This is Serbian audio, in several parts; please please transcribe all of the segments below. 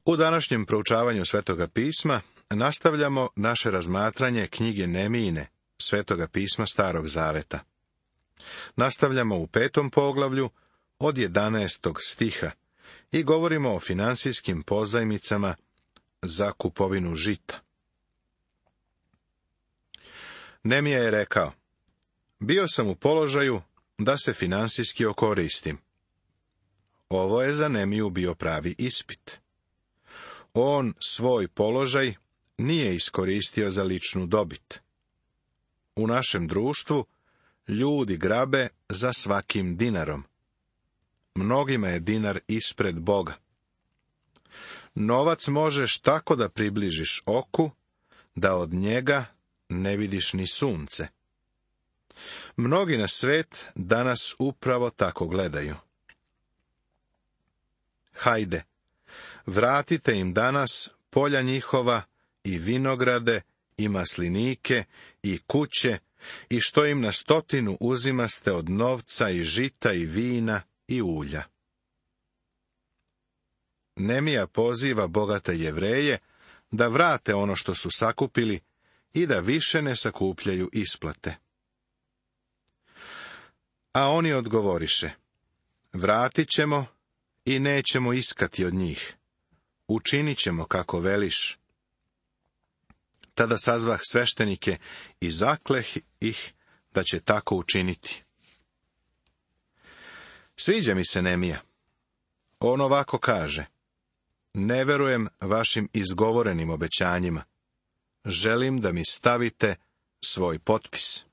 U današnjem proučavanju Svetoga pisma nastavljamo naše razmatranje knjige Nemijine, Svetoga pisma Starog Zaveta. Nastavljamo u 5. poglavlju od 11. stiha i govorimo o finansijskim pozajmicama za kupovinu žita. Nemija je rekao: bio sam u položaju da se finansijski okoristim. Ovo je za Nemiju bio pravi ispit. On svoj položaj nije iskoristio za ličnu dobit. U našem društvu ljudi grabe za svakim dinarom. Mnogima je dinar ispred Boga. Novac možeš tako da približiš oku, da od njega ne vidiš ni sunce. Mnogi na svet danas upravo tako gledaju. Hajde, vratite im danas polja njihova i vinograde i maslinike i kuće i što im na 100 uzimaste od novca i žita i vina i ulja. Nemija poziva bogate Jevreje da vrate ono što su sakupili i da više ne sakupljaju isplate. A oni odgovoriše: vratit ćemo i nećemo iskati od njih. Učinit ćemo kako veliš. Tada sazvah sveštenike i zakleh ih da će tako učiniti. Sviđa mi se Nemija. On ovako kaže: ne verujem vašim izgovorenim obećanjima. Želim da mi stavite svoj potpis.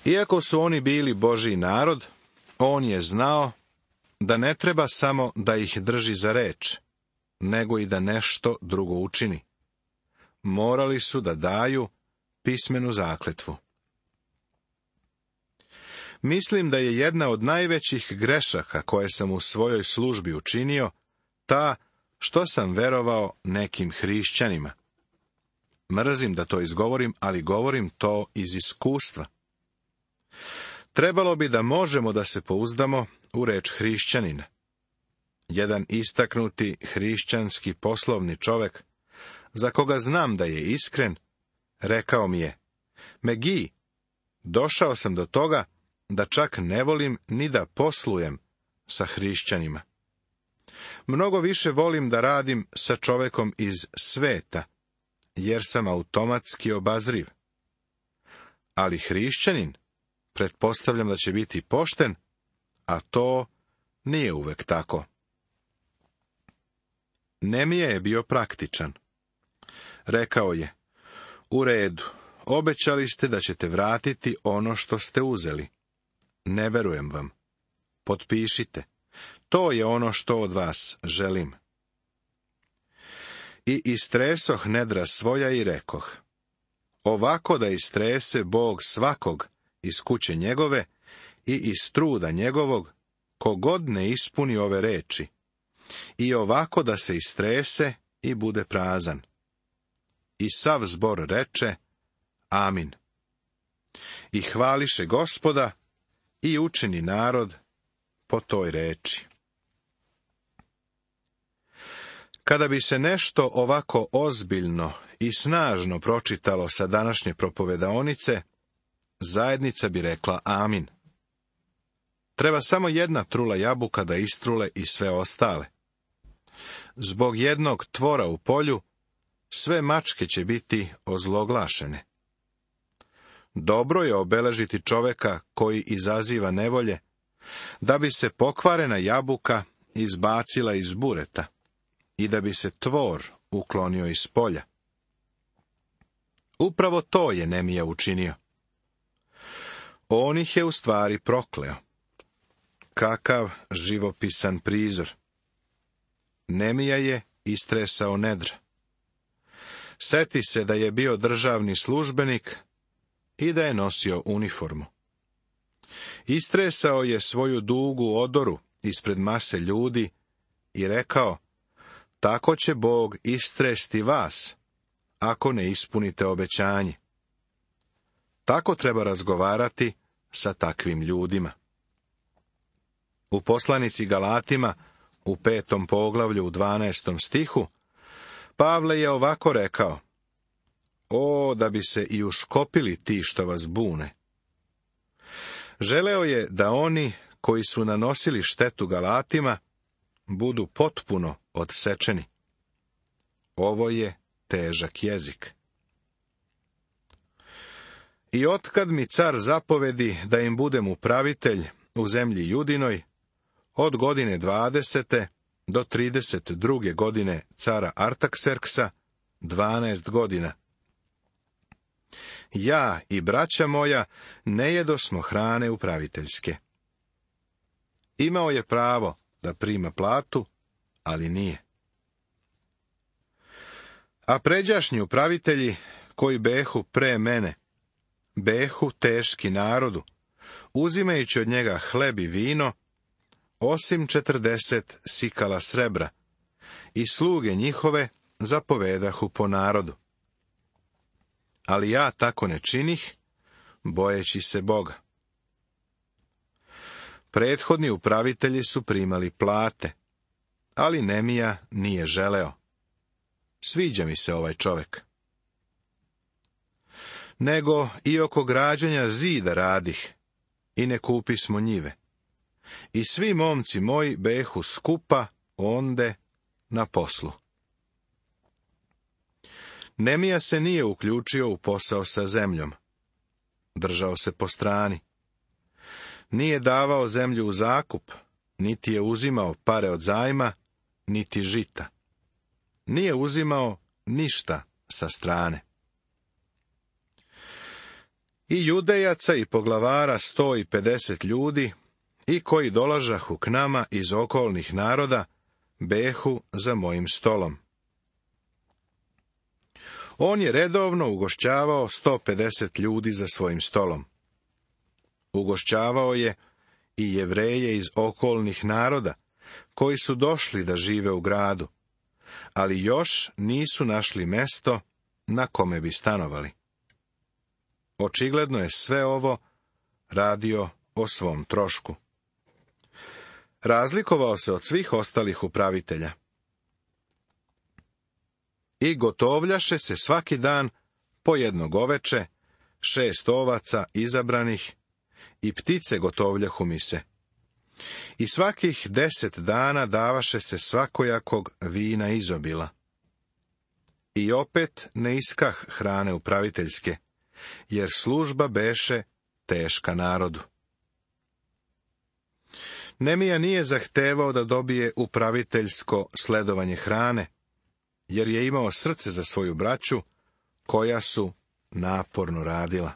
Iako su oni bili Božji narod, on je znao da ne treba samo da ih drži za reč, nego i da nešto drugo učini. Morali su da daju pismenu zakletvu. Mislim da je jedna od najvećih grešaka koje sam u svojoj službi učinio ta što sam verovao nekim hrišćanima. Mrzim da to izgovorim, ali govorim to iz iskustva. Trebalo bi da možemo da se pouzdamo u reč hrišćanina. Jedan istaknuti hrišćanski poslovni čovek, za koga znam da je iskren, rekao mi je: Megi, došao sam do toga da čak ne volim ni da poslujem sa hrišćanima. Mnogo više volim da radim sa čovekom iz sveta, jer sam automatski obazriv. Ali hrišćanin, pretpostavljam da će biti pošten, a to nije uvek tako. Nemija je bio praktičan. Rekao je: u redu, obećali ste da ćete vratiti ono što ste uzeli. Ne verujem vam. Potpišite. To je ono što od vas želim. I istresoh nedra svoja i rekoh: ovako da istrese Bog svakog iz kuće njegove i iz truda njegovog, kogod ne ispuni ove reči, i ovako da se istrese i bude prazan. I sav zbor reče: amin. I hvališe Gospoda i učini narod po toj reči. Kada bi se nešto ovako ozbiljno i snažno pročitalo sa današnje propovedaonice, zajednica bi rekla amin. Treba samo jedna trula jabuka da istrule i sve ostale. Zbog jednog tvora u polju, sve mačke će biti ozloglašene. Dobro je obeležiti čoveka koji izaziva nevolje, da bi se pokvarena jabuka izbacila iz bureta i da bi se tvor uklonio iz polja. Upravo to je Nemija učinio. On ih je u stvari prokleo. Kakav živopisan prizor. Nemija je istresao nedra. Seti se da je bio državni službenik i da je nosio uniformu. Istresao je svoju dugu odoru ispred mase ljudi i rekao: tako će Bog istresti vas, ako ne ispunite obećanje. Tako treba razgovarati sa takvim ljudima. U poslanici Galatima, u 5. poglavlju u 12. stihu, Pavle je ovako rekao: O, da bi se i uškopili ti što vas bune. Želeo je da oni koji su nanosili štetu Galatima budu potpuno odsečeni. Ovo je težak jezik. I otkad mi car zapovedi da im budem upravitelj u zemlji Judinoj, od godine 20. do 32. godine cara Artakserksa, 12 godina. Ja i braća moja ne jedosmo hrane upraviteljske. Imao je pravo da prima platu, ali nije. A pređašnji upravitelji, koji behu pre mene, behu teški narodu, uzimajući od njega hleb i vino, osim 40 sikala srebra, i sluge njihove zapovedahu po narodu. Ali ja tako ne činih, bojeći se Boga. Prethodni upravitelji su primali plate, ali Nemija nije želeo. Sviđa mi se ovaj čovek. Nego i oko građenja zida radih, i ne kupismo njive. I svi momci moji behu skupa onde na poslu. Nemija se nije uključio u posao sa zemljom. Držao se po strani. Nije davao zemlju u zakup, niti je uzimao pare od zajma, niti žita. Nije uzimao ništa sa strane. I judejaca i poglavara 150 ljudi, i koji dolažahu k nama iz okolnih naroda, behu za mojim stolom. On je redovno ugošćavao 150 ljudi za svojim stolom. Ugošćavao je i Jevreje iz okolnih naroda, koji su došli da žive u gradu, ali još nisu našli mesto na kome bi stanovali. Očigledno je sve ovo radio o svom trošku. Razlikovao se od svih ostalih upravitelja. I gotovljaše se svaki dan po jedno goveče, 6 ovaca izabranih, i ptice gotovljahu mi se. I svakih 10 dana davaše se svakojakog vina izobila. I opet ne iskah hrane upraviteljske, jer služba beše teška narodu. Nemija nije zahtevao da dobije upraviteljsko sledovanje hrane, jer je imao srce za svoju braću, koja su naporno radila.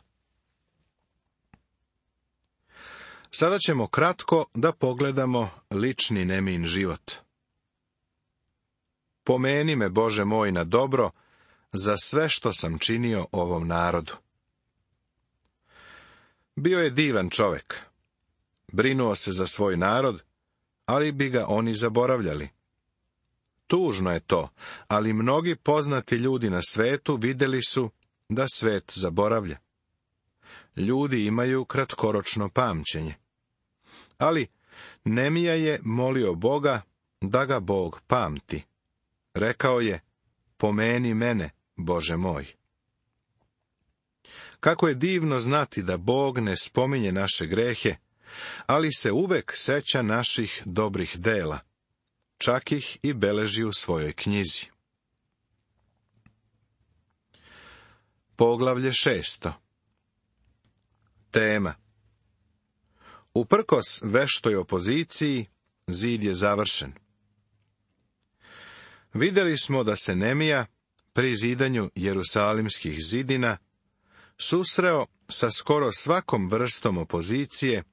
Sada ćemo kratko da pogledamo lični Nemijin život. Pomeni me, Bože moj, na dobro za sve što sam činio ovom narodu. Bio je divan čovek. Brinuo se za svoj narod, ali bi ga oni zaboravljali. Tužno je to, ali mnogi poznati ljudi na svetu vidjeli su da svet zaboravlja. Ljudi imaju kratkoročno pamćenje. Ali Nemija je molio Boga da ga Bog pamti. Rekao je: pomeni mene, Bože moj. Kako je divno znati da Bog ne spominje naše grehe, ali se uvek seća naših dobrih dela, čak ih i beleži u svojoj knjizi. Poglavlje 6. Tema: uprkos veštoj opoziciji, zid je završen. Vidjeli smo da se Nemija pri zidanju jerusalimskih zidina susreo sa skoro svakom vrstom opozicije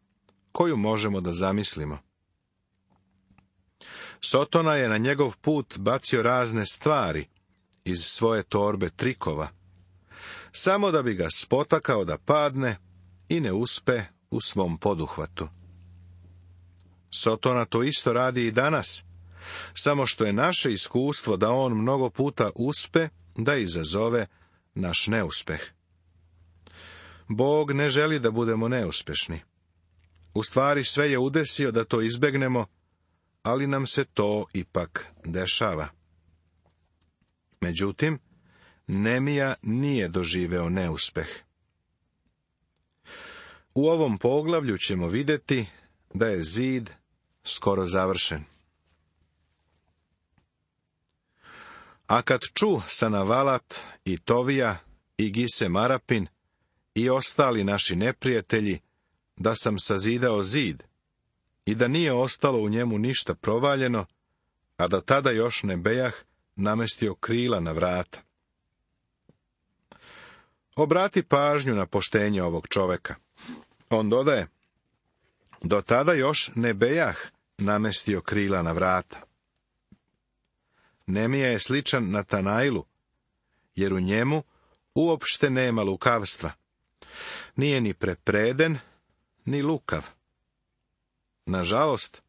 koju možemo da zamislimo. Sotona je na njegov put bacio razne stvari iz svoje torbe trikova, samo da bi ga spotakao da padne i ne uspe u svom poduhvatu. Sotona to isto radi i danas, samo što je naše iskustvo da on mnogo puta uspe da izazove naš neuspeh. Bog ne želi da budemo neuspešni. U stvari sve je udesio da to izbegnemo, ali nam se to ipak dešava. Međutim, Nemija nije doživeo neuspeh. U ovom poglavlju ćemo vidjeti da je zid skoro završen. A kad ču Sanavalat i Tovija i Gisem Arapin i ostali naši neprijatelji da sam sazidao zid i da nije ostalo u njemu ništa provaljeno, a da tada još ne bejah namestio krila na vrata. Obrati pažnju na poštenje ovog čoveka. On dodaje, do tada još ne bejah namestio krila na vrata. Nemija je sličan Natanailu, jer u njemu uopšte nema lukavstva. Nije ni prepreden, ni lukav. Nažalost,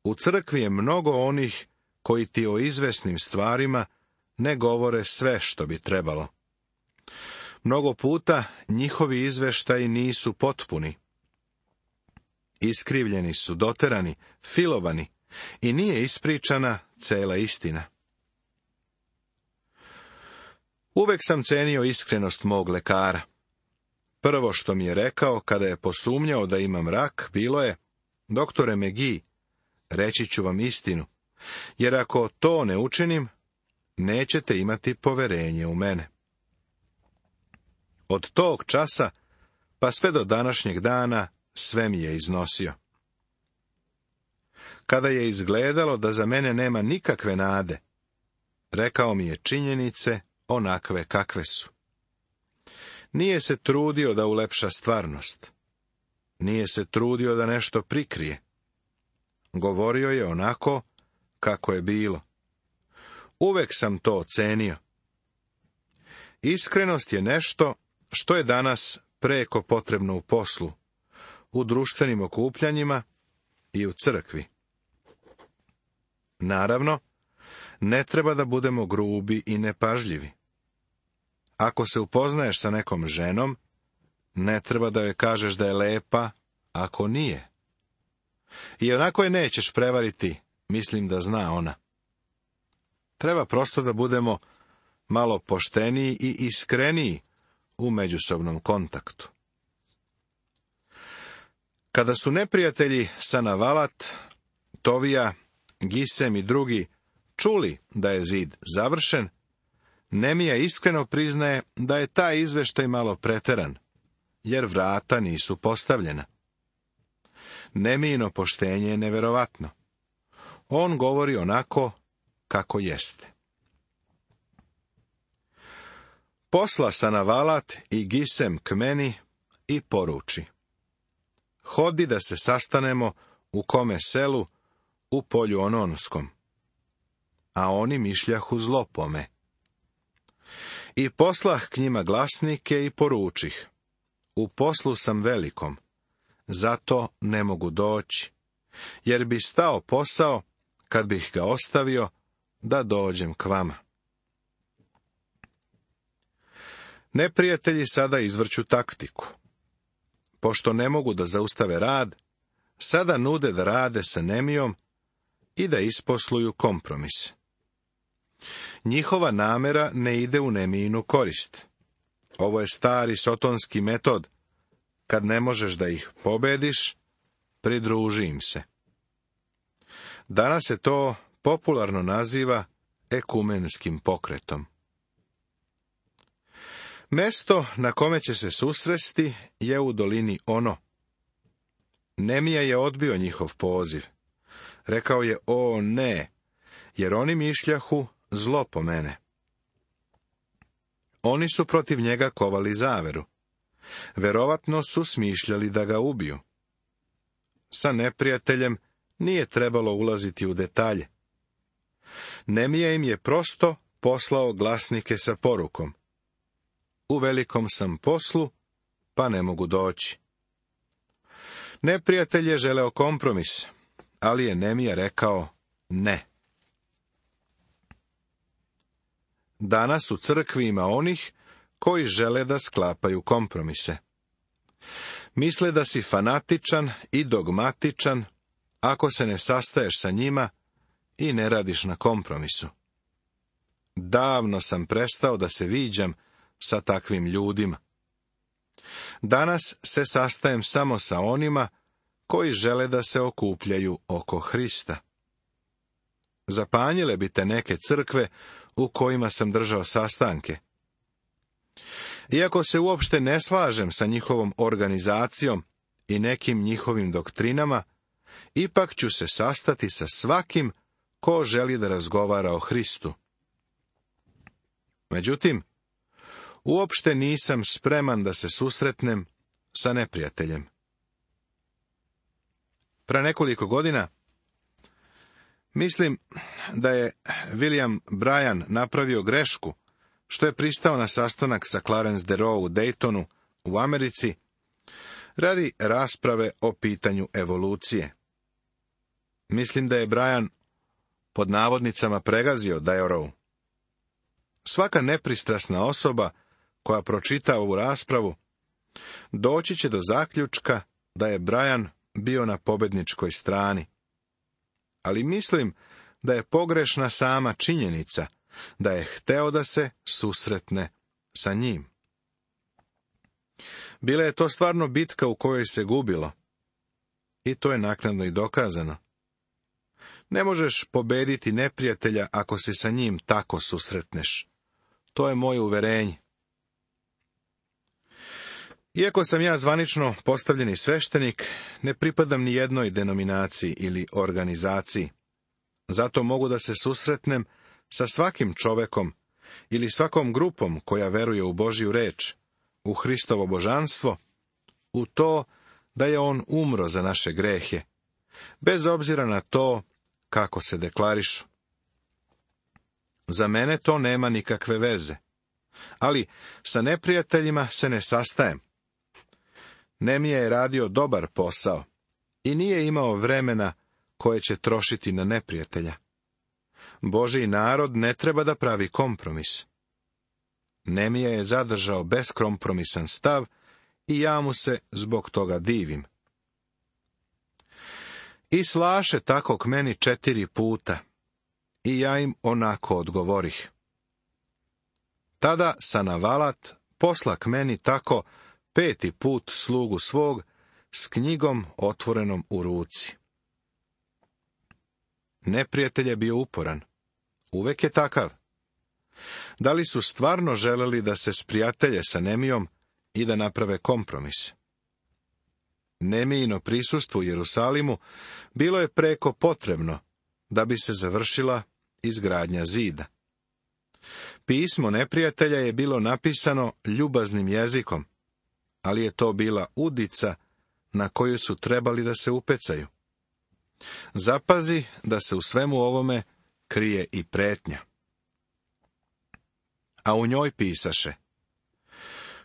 u crkvi je mnogo onih koji ti o izvesnim stvarima ne govore sve što bi trebalo. Mnogo puta njihovi izveštaji nisu potpuni. Iskrivljeni su, doterani, filovani i nije ispričana cela istina. Uvek sam cenio iskrenost mog lekara. Prvo što mi je rekao kada je posumnjao da imam rak, bilo je, doktore McGee, reći ću vam istinu, jer ako to ne učinim, nećete imati poverenje u mene. Od tog časa, pa sve do današnjeg dana, sve mi je iznosio. Kada je izgledalo da za mene nema nikakve nade, rekao mi je činjenice onakve kakve su. Nije se trudio da ulepša stvarnost. Nije se trudio da nešto prikrije. Govorio je onako kako je bilo. Uvek sam to ocenio. Iskrenost je nešto što je danas preko potrebno u poslu, u društvenim okupljanjima i u crkvi. Naravno, ne treba da budemo grubi i nepažljivi. Ako se upoznaješ sa nekom ženom, ne treba da joj kažeš da je lepa, ako nije. I onako je nećeš prevariti, mislim da zna ona. Treba prosto da budemo malo pošteniji i iskreniji u međusobnom kontaktu. Kada su neprijatelji Sanavalat, Tovija, Gisem i drugi čuli da je zid završen, Nemija iskreno priznaje da je taj izveštaj malo preteran, jer vrata nisu postavljena. Nemijino poštenje je neverovatno. On govori onako kako jeste. Posla Sanavalat i Gisem k meni i poruči: hodi da se sastanemo u kome selu u polju Ononskom. A oni mišljahu zlo po me. I poslah k njima glasnike i poručih: u poslu sam velikom, zato ne mogu doći, jer bi stao posao, kad bih ga ostavio, da dođem k vama. Neprijatelji sada izvrću taktiku. Pošto ne mogu da zaustave rad, sada nude da rade sa Nemijom i da isposluju kompromis. Njihova namera ne ide u Nemijinu korist. Ovo je stari sotonski metod. Kad ne možeš da ih pobediš, pridruži im se. Danas se to popularno naziva ekumenskim pokretom. Mesto na kome će se susresti je u dolini Ono. Nemija je odbio njihov poziv. Rekao je: o ne, jer oni mišljahu zlo po mene. Oni su protiv njega kovali zaveru. Verovatno su smišljali da ga ubiju. Sa neprijateljem nije trebalo ulaziti u detalje. Nemija im je prosto poslao glasnike sa porukom: u velikom sam poslu, pa ne mogu doći. Neprijatelj je želeo kompromis, ali je Nemija rekao ne. Danas u crkvi ima onih koji žele da sklapaju kompromise. Misle da si fanatičan i dogmatičan ako se ne sastaješ sa njima i ne radiš na kompromisu. Davno sam prestao da se viđam sa takvim ljudima. Danas se sastajem samo sa onima koji žele da se okupljaju oko Hrista. Zapanjile bi te neke crkve u kojima sam držao sastanke. Iako se uopšte ne slažem sa njihovom organizacijom i nekim njihovim doktrinama, ipak ću se sastati sa svakim ko želi da razgovara o Hristu. Međutim, uopšte nisam spreman da se susretnem sa neprijateljem. Pre nekoliko godina mislim da je William Bryan napravio grešku što je pristao na sastanak sa Clarence Darrow u Daytonu u Americi radi rasprave o pitanju evolucije. Mislim da je Bryan pod navodnicama pregazio Darrow. Svaka nepristrasna osoba koja pročita ovu raspravu doći će do zaključka da je Bryan bio na pobedničkoj strani. Ali mislim da je pogrešna sama činjenica da je hteo da se susretne sa njim. Bila je to stvarno bitka u kojoj se gubilo. I to je naknadno i dokazano. Ne možeš pobediti neprijatelja ako se sa njim tako susretneš. To je moje uverenje. Iako sam ja zvanično postavljeni sveštenik, ne pripadam ni jednoj denominaciji ili organizaciji. Zato mogu da se susretnem sa svakim čovekom ili svakom grupom koja veruje u Božju reč, u Hristovo božanstvo, u to da je on umro za naše grehe, bez obzira na to kako se deklarišu. Za mene to nema nikakve veze, ali sa neprijateljima se ne sastajem. Nemija je radio dobar posao i nije imao vremena koje će trošiti na neprijatelja. Božji narod ne treba da pravi kompromis. Nemija je zadržao beskompromisan stav i ja mu se zbog toga divim. I slaše tako k meni 4 puta, i ja im onako odgovorih. Tada Sanavalat posla k meni tako 5. put slugu svog s knjigom otvorenom u ruci. Neprijatelj je bio uporan. Uvek je takav. Da li su stvarno želeli da se sprijatelje sa Nemijom i da naprave kompromis? Nemijino prisustvo u Jerusalimu bilo je preko potrebno da bi se završila izgradnja zida. Pismo neprijatelja je bilo napisano ljubaznim jezikom, ali je to bila udica na koju su trebali da se upecaju. Zapazi da se u svemu ovome krije i pretnja. A u njoj pisaše: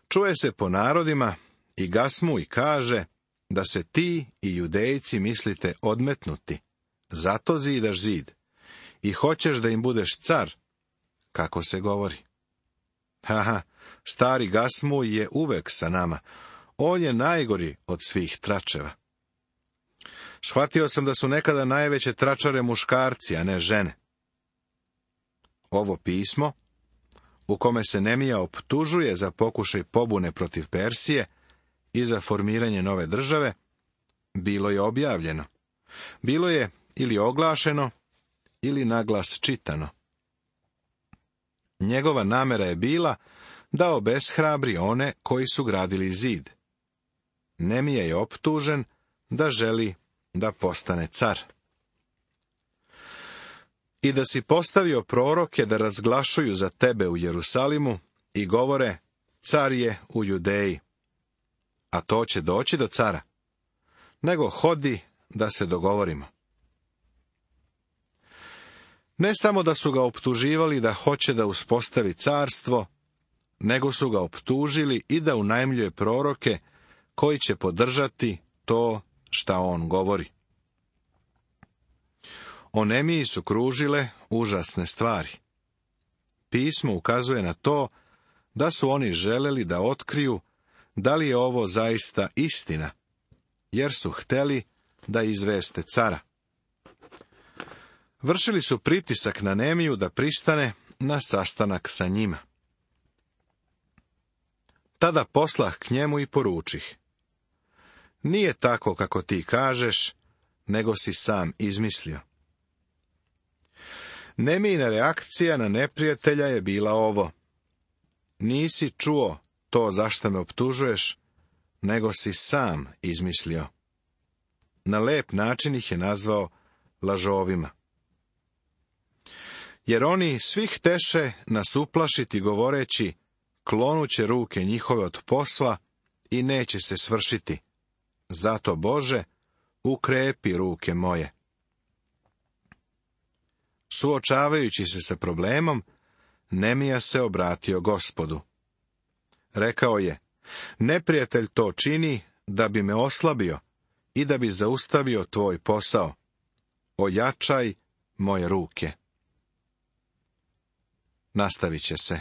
čuje se po narodima i gasmu i kaže da se ti i Judejci mislite odmetnuti, zato zidaš zid i hoćeš da im budeš car, kako se govori. Haha, stari Gasmu je uvek sa nama. On je najgori od svih tračeva. Shvatio sam da su nekada najveće tračare muškarci, a ne žene. Ovo pismo, u kome se Nemija optužuje za pokušaj pobune protiv Persije i za formiranje nove države, bilo je objavljeno. Bilo je ili oglašeno, ili naglas čitano. Njegova namera je bila da obeshrabri one koji su gradili zid. Nemija je optužen da želi da postane car. I da si postavio proroke da razglašuju za tebe u Jerusalimu i govore: car je u Judeji. A to će doći do cara. Nego hodi da se dogovorimo. Ne samo da su ga optuživali da hoće da uspostavi carstvo, nego su ga optužili i da unajmljuje proroke koji će podržati to šta on govori. O Nemiji su kružile užasne stvari. Pismo ukazuje na to da su oni želeli da otkriju da li je ovo zaista istina, jer su hteli da izveste cara. Vršili su pritisak na Nemiju da pristane na sastanak sa njima. Tada poslah k njemu i poručih: nije tako kako ti kažeš, nego si sam izmislio. Nemijina reakcija na neprijatelja je bila ovo: nisi čuo to zašto me optužuješ, nego si sam izmislio. Na lep način ih je nazvao lažovima. Jer oni svih teše nas uplašiti govoreći: klonuće ruke njihove od posla i neće se svršiti. Zato, Bože, ukrepi ruke moje. Suočavajući se sa problemom, Nemija se obratio Gospodu. Rekao je: neprijatelj to čini da bi me oslabio i da bi zaustavio tvoj posao. Ojačaj moje ruke. Nastavit će se.